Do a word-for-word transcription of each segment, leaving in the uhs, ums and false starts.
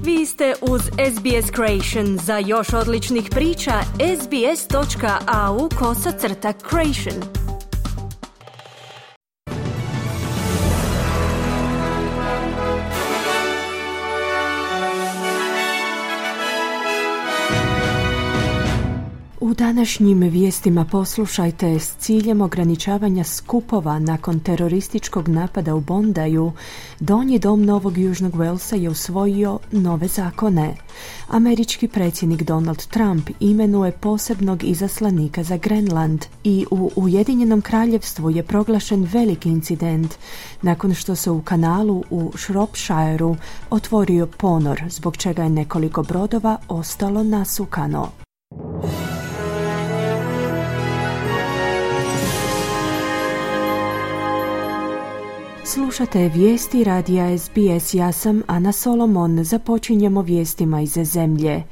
Vi ste uz S B S Creation. Za još odličnih priča, sbs.au kosacrta creation. U današnjim vijestima poslušajte: s ciljem ograničavanja skupova nakon terorističkog napada u Bondaju, Donji dom Novog Južnog Walesa je usvojio nove zakone. Američki predsjednik Donald Trump imenuje posebnog izaslanika za Grenland i u Ujedinjenom kraljevstvu je proglašen veliki incident nakon što se u kanalu u Shropshireu otvorio ponor, zbog čega je nekoliko brodova ostalo nasukano. Slušate vijesti radija S B S, ja sam Ana Solomon. Započinjemo vijestima iz zemlje.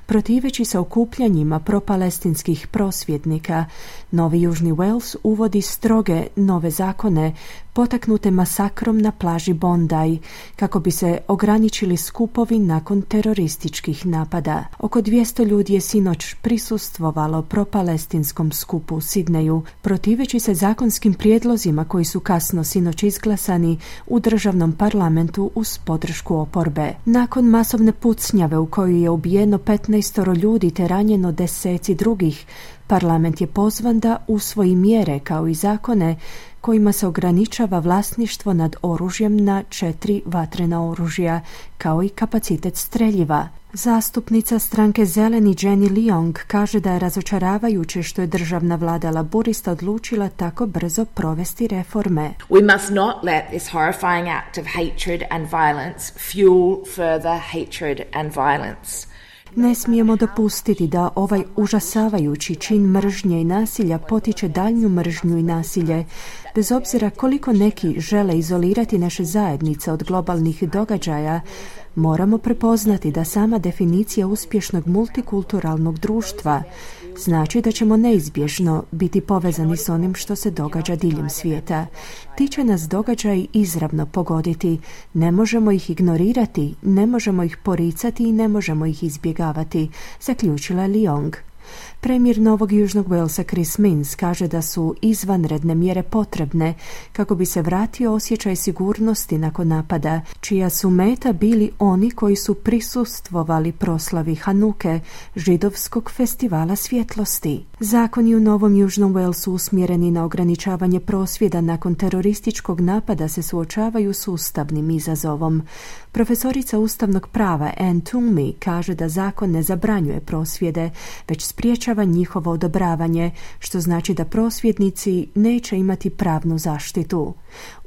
Protiveći se okupljanjima propalestinskih prosvjednika, Novi Južni Wales uvodi stroge nove zakone potaknute masakrom na plaži Bondi, kako bi se ograničili skupovi nakon terorističkih napada. Oko dvjesto ljudi je sinoć prisustvovalo propalestinskom skupu u Sidneju, protiveći se zakonskim prijedlozima koji su kasno sinoć izglasani u državnom parlamentu uz podršku oporbe. Nakon masovne pucnjave u kojoj je ubijeno petnaestoro ljudi te ranjeno deseci drugih, parlament je pozvan da usvoji mjere kao i zakone kojima se ograničava vlasništvo nad oružjem na četiri vatrena oružja, kao i kapacitet streljiva. Zastupnica stranke Zeleni Jenny Leong kaže da je razočaravajuće što je državna vlada laburista odlučila tako brzo provesti reforme. We must not let this horrifying act of hatred and violence fuel further hatred and violence. Ne smijemo dopustiti da ovaj užasavajući čin mržnje i nasilja potiče daljnju mržnju i nasilje, bez obzira koliko neki žele izolirati naše zajednice od globalnih događaja. Moramo prepoznati da sama definicija uspješnog multikulturalnog društva znači da ćemo neizbježno biti povezani s onim što se događa diljem svijeta. Ti će nas događaji izravno pogoditi. Ne možemo ih ignorirati, ne možemo ih poricati i ne možemo ih izbjegavati, zaključila Leong. Premijer Novog Južnog Walesa Chris Minns kaže da su izvanredne mjere potrebne kako bi se vratio osjećaj sigurnosti nakon napada, čija su meta bili oni koji su prisustvovali proslavi Hanuke, židovskog festivala svjetlosti. Zakoni u Novom Južnom Walesu usmjereni na ograničavanje prosvjeda nakon terorističkog napada se suočavaju s ustavnim izazovom. Profesorica ustavnog prava Anne Toomey kaže da zakon ne zabranjuje prosvjede, već spriječava njihovo odobravanje, što znači da prosvjednici neće imati pravnu zaštitu.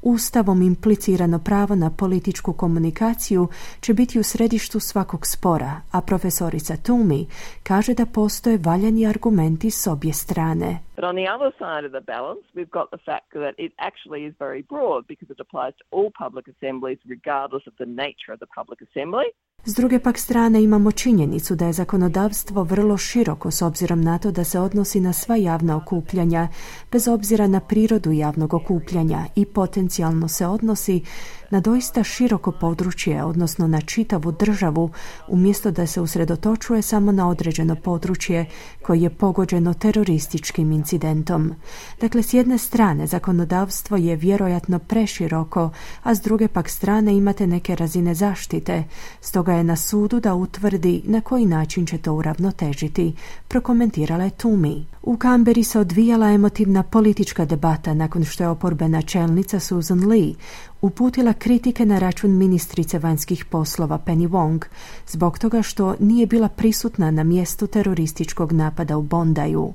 Ustavom implicirano pravo na političku komunikaciju će biti u središtu svakog spora, a profesorica Toomey kaže da postoje valjani argumenti s obje strane. But on the other side of the balance, we've got the fact that it actually is very broad because it applies to all public assemblies regardless of the nature of the public assembly. S druge pak strane imamo činjenicu da je zakonodavstvo vrlo široko s obzirom na to da se odnosi na sva javna okupljanja, bez obzira na prirodu javnog okupljanja, i potencijalno se odnosi na doista široko područje, odnosno na čitavu državu, umjesto da se usredotočuje samo na određeno područje koje je pogođeno terorističkim incidentom. Dakle, s jedne strane zakonodavstvo je vjerojatno preširoko, a s druge pak strane imate neke razine zaštite, stoga je na sudu da utvrdi na koji način će to uravnotežiti, prokomentirala je Toomey. U Kamberi se odvijala emotivna politička debata nakon što je oporbena čelnica Susan Lee uputila kritike na račun ministrice vanjskih poslova Penny Wong zbog toga što nije bila prisutna na mjestu terorističkog napada u Bondaju.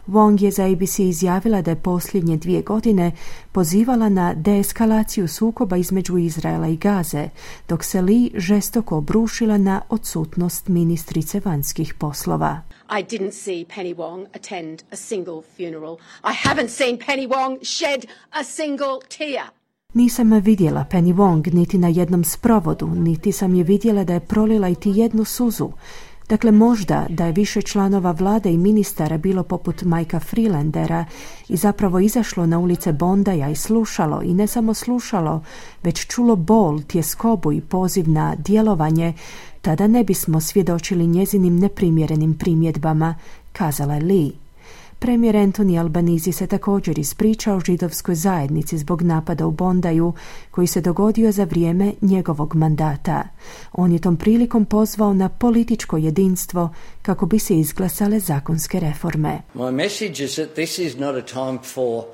Wong je za A B C izjavila da je posljednje dvije godine pozivala na deeskalaciju sukoba između Izraela i Gaze, dok se Lee žestoko obrušila na odsutnost ministrice vanjskih poslova. I didn't see Penny Wong attend a single funeral. I haven't seen Penny Wong shed a single tear. Nisam vidjela Penny Wong niti na jednom sprovodu, niti sam je vidjela da je prolila iti jednu suzu. Dakle, možda da je više članova vlade i ministara bilo poput Mikea Freelandera i zapravo izašlo na ulice Bondaja i slušalo, i ne samo slušalo, već čulo bol, tjeskobu i poziv na djelovanje, tada ne bismo svjedočili njezinim neprimjerenim primjedbama, kazala je Lee. Premijer Anthony Albanese se također ispričao židovskoj zajednici zbog napada u Bondaju koji se dogodio za vrijeme njegovog mandata. On je tom prilikom pozvao na političko jedinstvo kako bi se izglasale zakonske reforme. My message is that this is not a time for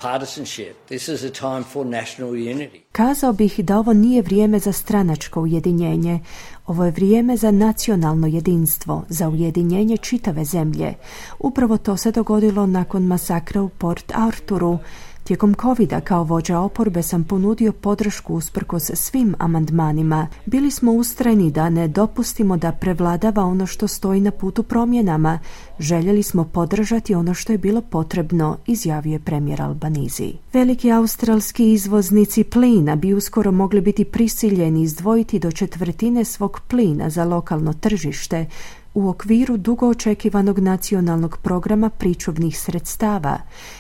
partisanship. This is a time for national unity. Kazao bih da ovo nije vrijeme za stranačko ujedinjenje. Ovo je vrijeme za nacionalno jedinstvo, za ujedinjenje čitave zemlje. Upravo to se dogodilo nakon masakra u Port Arthuru. Tijekom covida kao vođa oporbe sam ponudio podršku usprkos svim amandmanima. Bili smo ustrajni da ne dopustimo da prevladava ono što stoji na putu promjenama. Željeli smo podržati ono što je bilo potrebno, izjavio je premijer Albanese. Veliki australski izvoznici plina bi uskoro mogli biti prisiljeni izdvojiti do četvrtine svog plina za lokalno tržište, u okviru dugo očekivanog nacionalnog programa pričuvnih sredstava.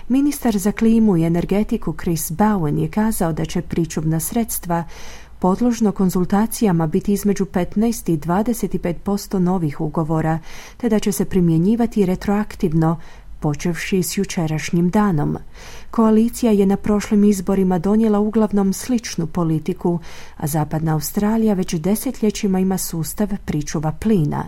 Ministar za klimu i energetiku Chris Bowen je kazao da će pričuvna sredstva podložno konzultacijama biti između petnaest i dvadeset pet posto novih ugovora, te da će se primjenjivati retroaktivno, počevši s jučerašnjim danom. Koalicija je na prošlim izborima donijela uglavnom sličnu politiku, a Zapadna Australija već desetljećima ima sustav pričuva plina.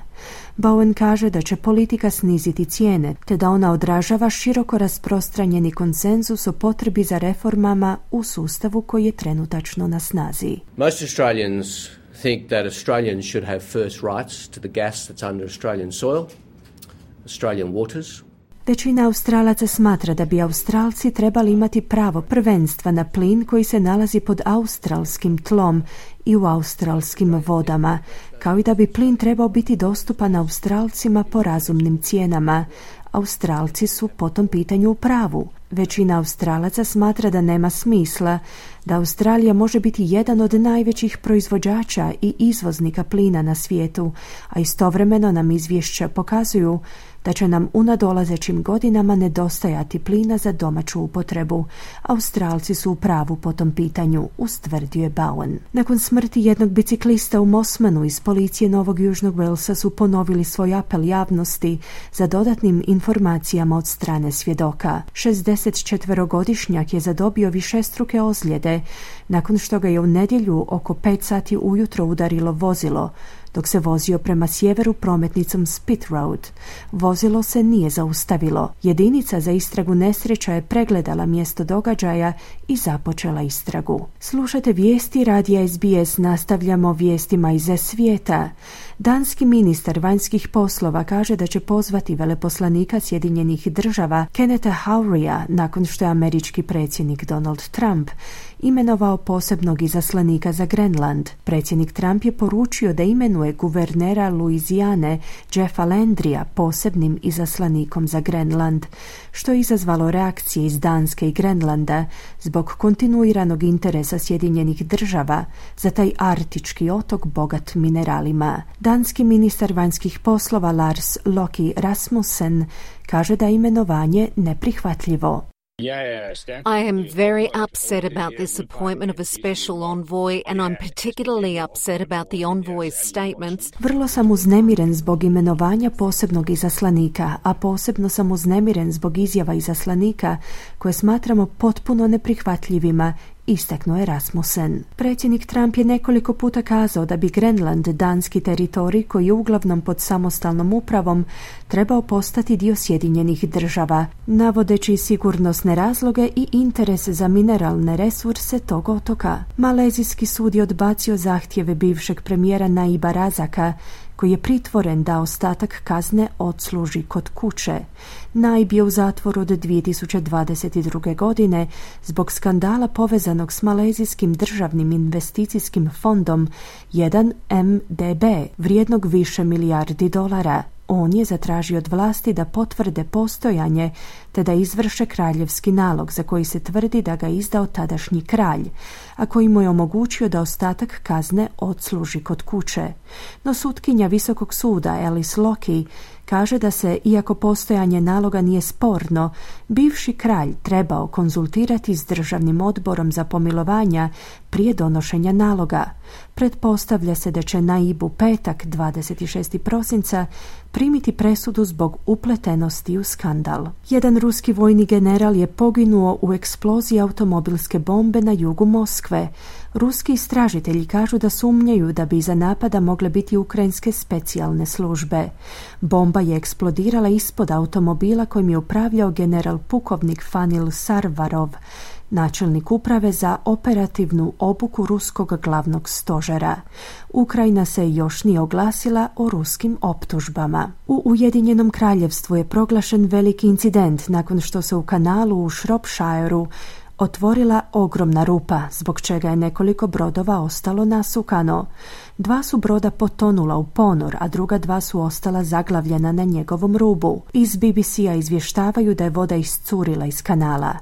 Bowen kaže da će politika sniziti cijene, te da ona odražava široko rasprostranjeni konsenzus o potrebi za reformama u sustavu koji je trenutačno na snazi. Most Australians think that Australians should have first rights to the gas that's under Australian soil, Australian waters. Većina Australaca smatra da bi Australci trebali imati pravo prvenstva na plin koji se nalazi pod australskim tlom i u australskim vodama, kao i da bi plin trebao biti dostupan Australcima po razumnim cijenama. Australci su po tom pitanju u pravu. Većina Australaca smatra da nema smisla da Australija može biti jedan od najvećih proizvođača i izvoznika plina na svijetu, a istovremeno nam izvješća pokazuju da će nam u nadolazećim godinama nedostajati plina za domaću upotrebu. Australci su u pravu po tom pitanju, ustvrdio je Bowen. Nakon smrti jednog biciklista u Mosmanu iz policije Novog Južnog Walesa su ponovili svoj apel javnosti za dodatnim informacijama od strane svjedoka. šezdesetčetverogodišnjak je zadobio višestruke ozljede nakon što ga je u nedjelju oko pet sati ujutro udarilo vozilo dok se vozio prema sjeveru prometnicom Spit Road. Vozilo se nije zaustavilo. Jedinica za istragu nesreća je pregledala mjesto događaja i započela istragu. Slušate vijesti radija S B S, nastavljamo vijestima iz svijeta. Danski ministar vanjskih poslova kaže da će pozvati veleposlanika Sjedinjenih država Kennetha Hauria nakon što je američki predsjednik Donald Trump imenovao posebnog izaslanika za Grenland. Predsjednik Trump je poručio da imenuje guvernera Luizijane Jeffa Landrya posebnim izaslanikom za Grenland, što je izazvalo reakcije iz Danske i Grenlanda zbog kontinuiranog interesa Sjedinjenih država za taj arktički otok bogat mineralima. Danski ministar vanjskih poslova Lars Løkke Rasmussen kaže da je imenovanje neprihvatljivo. I am very upset about this appointment of a special envoy, and I'm particularly upset about the envoy's statements. Vrlo sam uznemiren zbog imenovanja posebnog izaslanika, a posebno sam uznemiren zbog izjava izaslanika koje smatramo potpuno neprihvatljivima, istaknuo je Rasmussen. Predsjednik Trump je nekoliko puta kazao da bi Grenland, danski teritorij koji je uglavnom pod samostalnom upravom, trebao postati dio Sjedinjenih država, navodeći sigurnosne razloge i interes za mineralne resurse tog otoka. Malezijski sud je odbacio zahtjeve bivšeg premijera Naiba Razaka, koji je pritvoren da ostatak kazne odsluži kod kuće. Naib je u zatvoru od dvije tisuće dvadeset druge. godine zbog skandala povezanog s malezijskim državnim investicijskim fondom jedan M D B, vrijednog više milijardi dolara. On je zatražio od vlasti da potvrde postojanje te da izvrše kraljevski nalog za koji se tvrdi da ga izdao tadašnji kralj, a koji mu je omogućio da ostatak kazne odsluži kod kuće. No sutkinja Visokog suda Alice Lockey kaže da se, iako postojanje naloga nije sporno, bivši kralj trebao konzultirati s Državnim odborom za pomilovanja prije donošenja naloga. Pretpostavlja se da će Naib u petak, dvadeset šestog prosinca, primiti presudu zbog upletenosti u skandal. Jedan ruski vojni general je poginuo u eksploziji automobilske bombe na jugu Moskve. Ruski istražitelji kažu da sumnjaju da bi iza napada mogle biti ukrajinske specijalne službe. Bomba je eksplodirala ispod automobila kojim je upravljao general pukovnik Fanil Sarvarov, načelnik uprave za operativnu obuku ruskog glavnog stožera. Ukrajina se još nije oglasila o ruskim optužbama. U Ujedinjenom kraljevstvu je proglašen veliki incident nakon što se u kanalu u Shropshireu otvorila ogromna rupa, zbog čega je nekoliko brodova ostalo nasukano. Dva su broda potonula u ponor, a druga dva su ostala zaglavljena na njegovom rubu. Iz B B C-a izvještavaju da je voda iscurila iz kanala.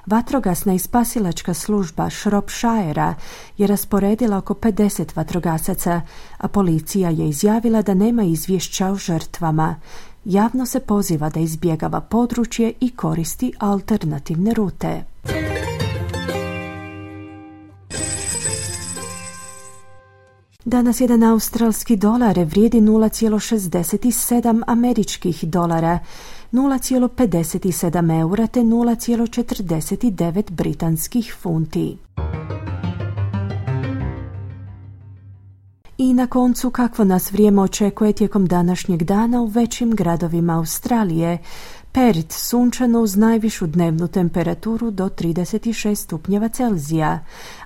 Vatrogasna i spasilačka služba Shropshirea je rasporedila oko pedeset vatrogasaca, a policija je izjavila da nema izvješća o žrtvama. Javno se poziva da izbjegava područje i koristi alternativne rute. Danas jedan australski dolar vrijedi nula zarez šezdeset sedam američkih dolara, nula zarez pedeset sedam eura te nula zarez četrdeset devet britanskih funti. I na koncu, kakvo nas vrijeme očekuje tijekom današnjeg dana u većim gradovima Australije. Perth sunčano uz najvišu dnevnu temperaturu do trideset šest stupnjeva Celzija,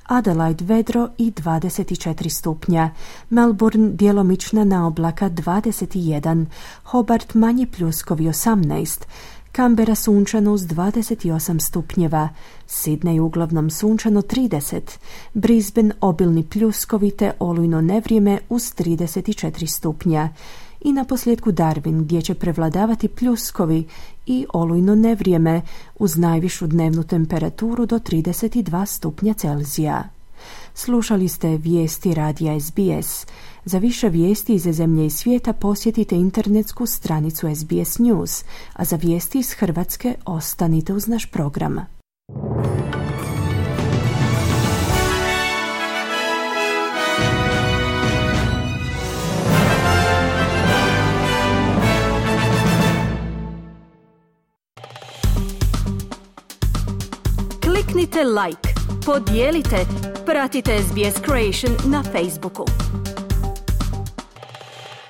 Adelaide vedro i dvadeset četiri stupnja, Melbourne djelomična naoblaka dvadeset jedan, Hobart manji pljuskovi osamnaest, Canberra sunčano uz dvadeset osam stupnjeva, Sydney uglavnom sunčano trideset, Brisbane obilni pljuskovi te olujno nevrijeme uz trideset četiri stupnja. I na posljedku Darwin, gdje će prevladavati pljuskovi i olujno nevrijeme uz najvišu dnevnu temperaturu do trideset dva stupnja Celzija. Slušali ste vijesti radija S B S. Za više vijesti iz zemlje i svijeta posjetite internetsku stranicu S B S News, a za vijesti iz Hrvatske ostanite uz naš program. Kliknite like, podijelite, pratite S B S Creation na Facebooku.